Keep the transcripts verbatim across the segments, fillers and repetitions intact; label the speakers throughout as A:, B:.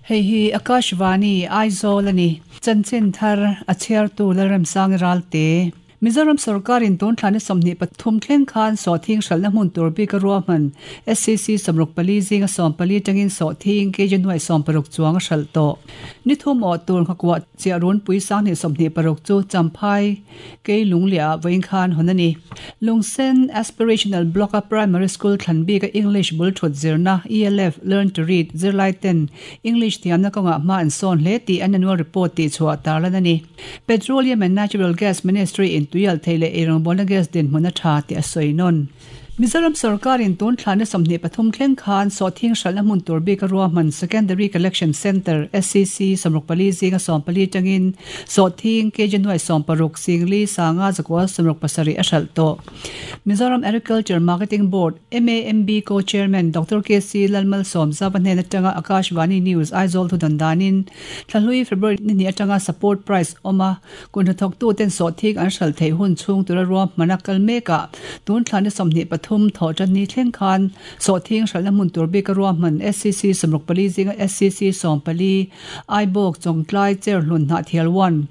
A: Hei hi Akashvani Aizawl ani chanchin thar a chhiar tu Lalremsang Ralte Mizoram sarkarin tun thlani sawmhnih pathum thleng khan sawhthing hralhna hmun tur bik a ruahman S C C sawmruk pali zinga sawm pali tangin sawhthing kg nuai sawm paruk chuang a hralh tawh. Ni thum awh tur nghakuah chiah runpui sanghnih sawmhnih paruk chu Champhai kei lunglia vawiin khan hawn ani. Lungsen Aspirational Block a Primary School thlan bik a English bul thut zirna E L F Learn to Read zirlai ten English thiamna kawnga hma an sawn hle tih an annual report tih chhuah tarlan ani. Petroleum and Natural Gas Ministry in tuial theile eirawng gas din hmuna tha ti a sawi. Mizoram sarkarin tun thlana sawmhnih pathum thleng khan sawhthing hralhna hmun tur bik a ruahman Secondary Collection Centre S C C sawmruk pali zinga sawm pali tangin sawhthing kg nuai sawm paruk singli sanga zakua sawmruk pasarih a hralh tawh. Mizoram Agriculture Marketing Board M A M B Co-Chairman Doctor K C Lalmal Som Zawa hnen atanga Akashvani News Aizawl thu dandanin thlahlui February ni ni atanga support price oma kun thok tu ten sawhthing an hralh thei hun chung tura ruahmana kal meka tun thlana sawmhnih pathum tho tan ni thleng khan sawhthing hralhna hmun tur bik a ruahman S C C sawmruk pali zinga S C C sawm pali Aibawk, Chawngtlai, Cherhlun, Hnahthial one,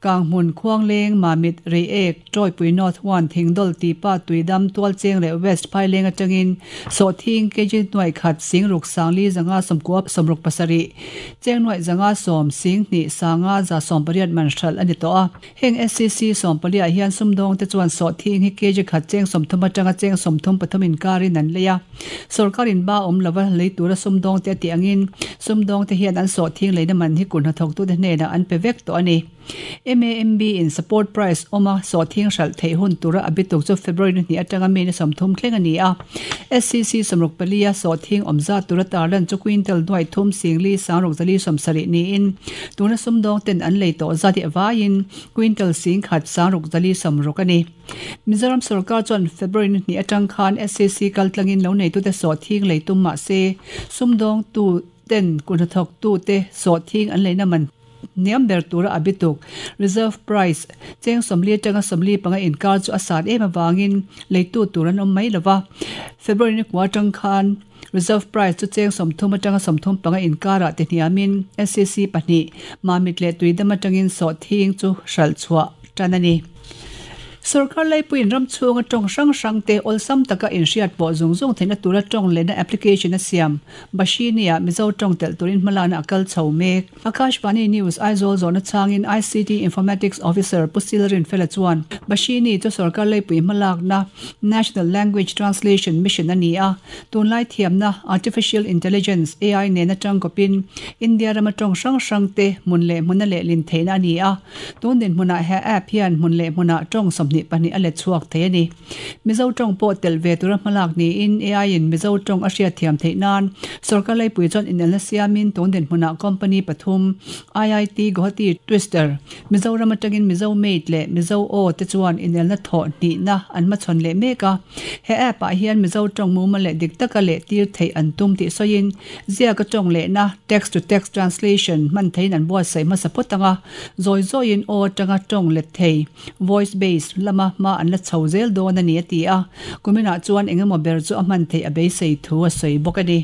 A: Kanghmun, Khuangleng, Mamit, Reiek, Troipui North one, Thingdol, Tipa, Tuidam, Tualcheng leh West Phaileng atangin sawhthing kg nuai khat singruk sangli zanga sawmkua sawmruk pasarih cheng nuai zanga sawm singhnih sanga za sawm pariat man hralh ani tawh a. Heng S C C sawm pali ah hian sumdawng te chuan sawhthing hi kg khat cheng sawmthum atanga cheng sawmthum pathum inkarin an lei a. Sarkarin ba awm lova lei tura sumdawng te ti angin sumdawng te hian an sawhthing leina man hi kun hnathawk tu te hnenah an pe vek tawh ani. M A M B in support price oma sawhthing hralh theih hun tura abituk chu February ni atanga May ni sawmthum thleng ani a. S C C sawmruk palia sawhthing awmza tura tarlan chu quintal nuai thum singli sangruk zali sawmsarih niin tuna sumdawng ten an lei tawh zati awaiin quintal sing khat sangruk zali sawmruk ani. Mizoram sarkar chuan February ni atang khan S C C kaltlangin lo nei tu te sawhthing lei tum ma se sumdawng tu ten kun hnathawk tu te sawhthing an leina man niam ber tura abituk reserve price cheng sawmli atanga sawmli panga inkar chu a sat em awangin leitu tur an awm mai lova. February ni kwa tang khan reserve price chu cheng sawmthum atanga sawmthum panga inkara te hniamin S C C pahnih Mamit leh Tuidam atangin sawhthing chu hralh chhuah tan ani. Sarkar laipuiin ram chhunga tawng hrang hrang te awlsam taka inhriat pawh zung zung theihna tura tawng lehna application a siam Bhashini-ah Mizo tawng telh turin hmalana a kal chho mek. Akashvani News Aizawl zawhna changin I C T Informatics Officer Pu Silrin Fela chuan Bhashini chu sarkar laipui hmalakna National Language Translation Mission ani a. Tunlai thiamna Artificial Intelligence A I nena tangkawpin India rama tawng hrang hrang te hmun leh hmuna leh lin theihna ani a. Tun din hmunah he app hian hmun leh hmuna tawng sawmhnih pahnih a let chhuak thei ani. Mizo tawng pawh tel ve tura hmalak niin A I in Mizo tawng a hriat thiam theih nan sarkar laipui chuan inelna siamin tun din hmunah company pathum I I T Guwahati Twister, Mizoram atangin Mizo Mate leh Mizo O te chuan inelna thawh hnihna an hmachhawn leh mek a. He app ah hian Mizo tawng mumal leh dik taka leh tir theih an tum tih sawiin ziaka tawng lehna text to text translation hman theiin an buatsaih hmasa phawt anga zawi zawiin aw atanga tawng let thei voice based lama hma an la chho zel dawn ani a ti a. Kuminah chuan engemaw ber chu a hman theih a beisei thu a sawi bawk ani.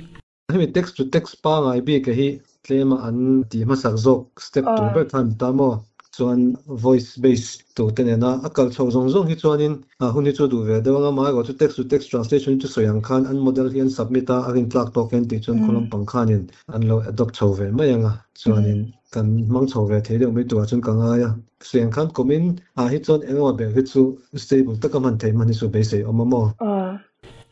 B: Hemi text to text pa ngai bi ka hi tlema an ti hmasak zawk step tur ber khan ta maw chuan voice base to te nena a kal chho zawng zawng hi chuanin a hun hi chu duh ve deuh anga mai chu text to text translation chu sawi ang khan an model hi an submit a a rin tlak tawk en tih chuan khulam pang khanin an lo adopt chho ve mai anga chuanin kan hmang chho ve thei deuh mai turah chuan ka ngai a. Sawi ang khan kumin ah hi chuan engemaw ber hi chu stable taka hman theih hman hi chu beisei awm a maw.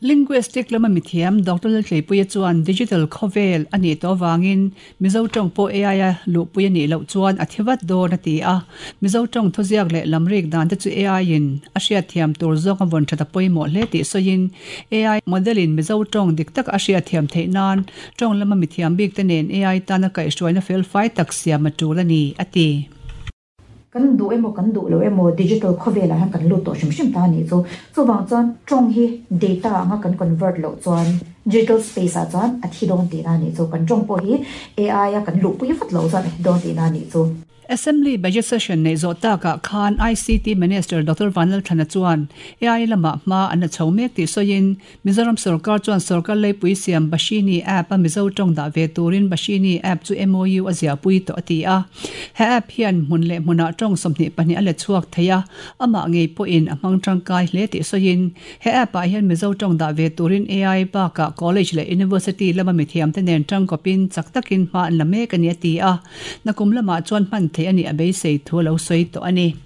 A: Linguistic lama mithiam Doctor Laltleipuia chuan digital khawvel ani to wangin Mizo tawng pawh A I a luhpui ani loh chuan a thivat dawn a ti a. Mizo tawng thuziak leh lamrik dan te chu A I in a hriat thiam tur zawng a vawn that a pawimawh hle tih sawiin A I model in Mizo tawng dik tak a hriat thiam theih nan tawng lama mithiam bik te nen A I tana kaihhruaina fel fai tak siam a tul ani a ti.
C: Kan du emo kan du lo emo digital khawvel ah hian kan lut tawh hrim hrim ta ani chu. Chuwang chuan tawng hi data anga kan convert loh chuan digital space ah chuan a thi dawn tihna ani chu. Kan tawng pawh hi A I a kan luhpui vat lo chuan a thi dawn tihna ani chu.
A: Assembly budget session nei zo ta ka khan I C T Minister Doctor Vanlal Thana chuan A I lama ma an chho mek ti soin Mizoram sarkar chuan sarkar leipui siam Bashini app a Mizo tong da ve turin Bashini app chu M O U azia pui to ati a he app hian mun le muna tong somni pani ale chuak theya ama ngei po in amang tangkai hle ti soin he app a hian Mizo tong da ve turin A I ba ka college le university lama mi thiam te nen tang kopin chaktakin ma an lame ka ni ati a nakum lama chuan man the ani abei sei thu lo soi to ani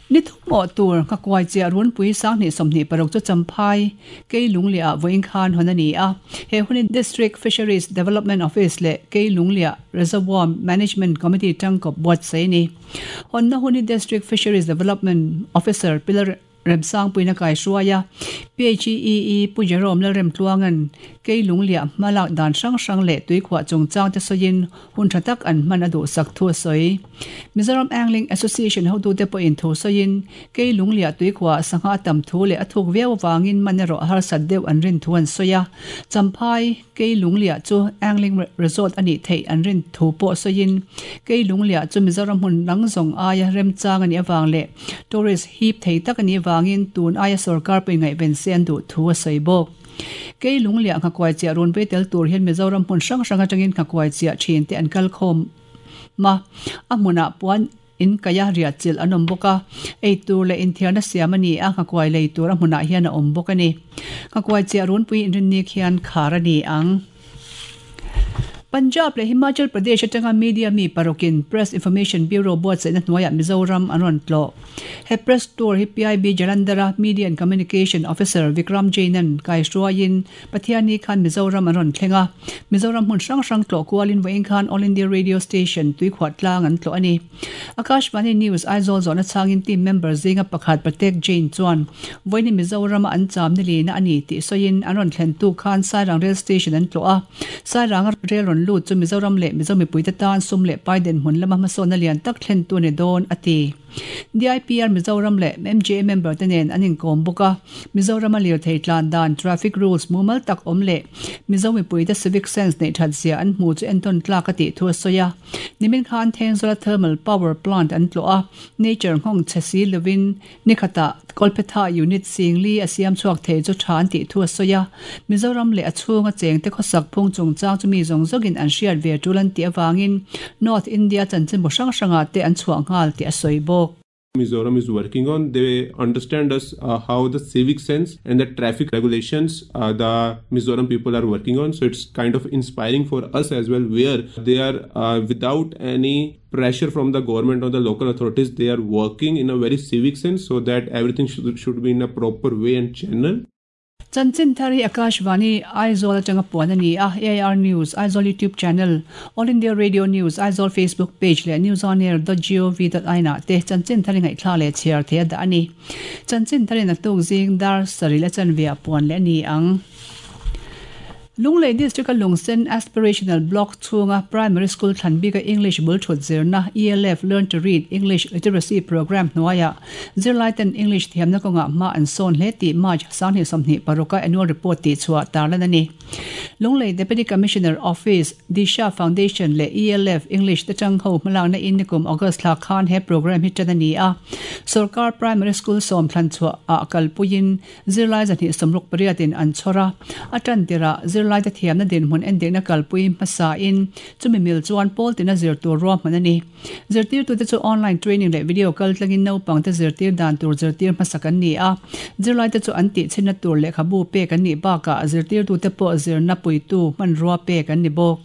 A: ni thu mo tur ka kwai che run pui sang ni somni parok chu champhai ke lunglia voin khan honani a he hunin District Fisheries Development Office le ke lunglia Reservoir Management Committee tang ko bot sei ni honna hunin District Fisheries Development Officer Pilar Remsang puina kai suaya P H E E pu Jerome la rem tluangan ke lunglia malak dan sang sang le tui khwa chungchang te soin hun thatak an man adu sak thu soi Mizoram Angling Association ho du te po in thu soin ke lunglia tui khwa sangha tam thu le athuk veu wangin manero har sat deuh an rin thuan soya champhai ke lunglia chu angling resort ani thei an rin thu po soin ke lunglia chu Mizoram hun langzong aya rem chang ani awang le tourist hip thei tak ani wangin tun aya sarkar pe ngai ben sen du thu sei bok ke lunglia kha kwai chia run pe tel tur hian Mizoram hun sang sang atangin kha kwai chia thin te an kal khom ma amuna puan in kaya ria chil anom boka ei tur le in thiana siamani a kha kwai lei tur amuna hian a om boka ni kha kwai chia run pui in rin ni khian kharani ang Punjab le Himachal Pradesh atanga media mi parokin Press Information Bureau board se na hnuaia Mizoram anon tlo he press tour hi P I B Jalandhara Media and Communication Officer Vikram Jainan kai hruain Pathiani khan Mizoram anon thlenga Mizoram hun sang sang tlo kualin voin khan All India Radio Station tui khwat tlang an tlo ani Akashvani News Aizawl zona changin team member zinga pakhat Pratek Jain chuan voini Mizoram an cham ni lina ani ti soin anon thlen tu khan Sairang Rail Station an tlo a Sairang rail ron lu chu Mizoram le Mizomi puite tan sum le paiden hun lama masona lian tak thlen tu ni don ati D I P R Mizoram le M J A member tenen anin kom buka Mizoram alir thei tlan dan traffic rules mumal tak om le Mizomi puite civic sense nei that zia an mu chu enton tlak ati thu soya nimin khan Thenzola thermal power plant an tlo a nature hong chesi lovin nikhata Kolpetha unit singli asiam chuak thei chu than ti thu soya Mizoram le achunga cheng te khosak phung chung chang chu mi zong zogin an hriat ve tulan ti awangin North India chanchin bo sang sanga te an chuang ngal ti asoi bok.
D: Mizoram is working on. They understand us uh, how the civic sense and the traffic regulations uh, the Mizoram people are working on. So it's kind of inspiring for us as well, where they are uh, without any pressure from the government or the local authorities, they are working in a very civic sense so that everything should, should be in a proper way and channel.
A: Chanchin Thari Akashvani Aizawl atanga puan ani a A I R News Aizawl YouTube channel All India Radio News Aizawl Facebook page le news on air dot gov dot in te Chanchin Thari ngai thla le chiar the da ani Chanchin Thari na tuk jing dar sari le chan via puan le ni ang Lunglei District Lungsen Aspirational Block chunga Primary School Thanbika English bul thut zirna E L F Learn to Read English Literacy Program hnuaia zirlaiten English thiamna kawnga ma an sawn hle tih March sanghnih sawmhnih paruka annual report tih chhuah tarlan ani Lunglei Deputy Commissioner Office Disha Foundation le E L F English te chang ho hmalakna in nikum August thla khan he program hi tan ani a Sarkar Primary School sawm thlan chhuah a kalpuiin zirlai zahnih sawmruk pariatin an chhawra a tan tira zirlai te thiamna dinhmun endikna kalpui hmasa in chumi mil chuan pawl tina zir tur ruahman ani zirtir tu te chu online training leh video kal tlangin naupang te zirtir dan tur zirtir hmasa kan ni a zirlai te chu an tih chhinna tur lehkhabu pek an nih bakah zirtir tu te pawh zirna puitu hmanrua pek an ni bawk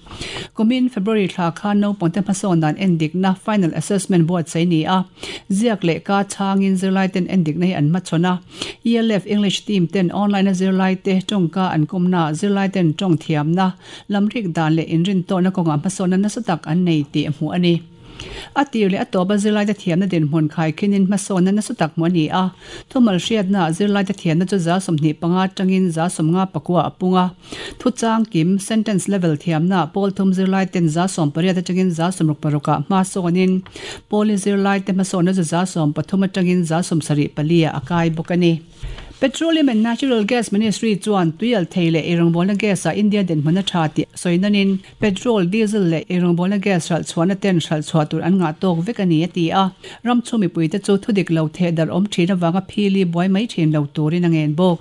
A: kumin February thla khan naupang te hmasawn dan endikna final assessment buatsaih ni a ziak leh ka changin zirlai ten endikna hi an hmachhawn a E L F English team ten online a zirlai te tawngka an kawmna zirlai ten tawng thiamna lamrik dan leh inrin tawhna kawnga hmasawnna nasa tak an nei tih a hmuh ani a tir leh a tawpa zirlai te thiamna dinhmun khai khinin hmasawnna nasa tak hmuh ani a thumal hriatna zirlai te thiamna chu za sawmhnih panga tangin za sawmnga pakua a punga thu chang kim sentence level thiamna pawl thum zirlai ten za sawm pariat atangin za sawmruk paruka hmasawnin pawli zirlai te hmasawnna chu za sawm pathum atangin za sawm sarih palia a kai bawk ani. Petroleum and Natural Gas Ministry chuan tuial theile eirawngbawl gas a India den hmuna tha ti soinanin petrol diesel le eirawngbawl gas ral chuan ten hral chhuah tur an nga tok vek ani ati a ram chumi puite chu thudik lo the dar om thina wanga phili boy mai thin lo turin angen bok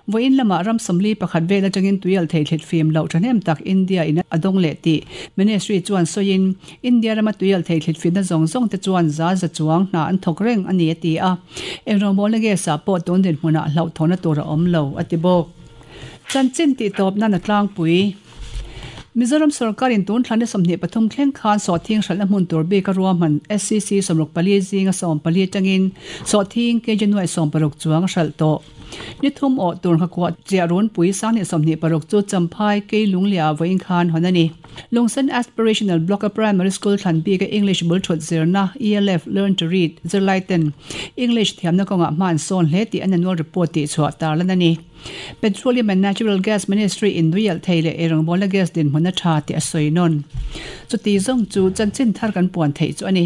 A: voin lama ram samli pakhat vela tangin tuial thei thlet fim lo thanem tak India in adong le ti Ministry chuan soin India rama tuial thei thlet fim na zong zong te chuan za za chuang na an thok reng ani ati a eirawngbawl gas a pawh tun din hmuna lo thona tura om lo atibok chanchin ti top na na tlang pui Mizoram sarkarin tun thlane somni pathum thleng khan so thing hral mun tur be ka ruaman S C C somruk pali zinga som pali tangin so thing ke januai som paruk chuang hral to ni thum o tur kha kwa chiarun pui sang ni somni paruk chu champhai ke lunglia voin khan honani Lungsan Aspirational Block Primary School thlan bi ka English bul thot zirna E L F Learn to Read zirlaiten English thiamna konga man son hle ti an annual report ti chhuah tarlan ani Petroleum and Natural Gas Ministry in Duyal Theile erang bola gas din hmuna tha ti a soinon chu ti zong chu chanchin thar kan puan thei chu ani.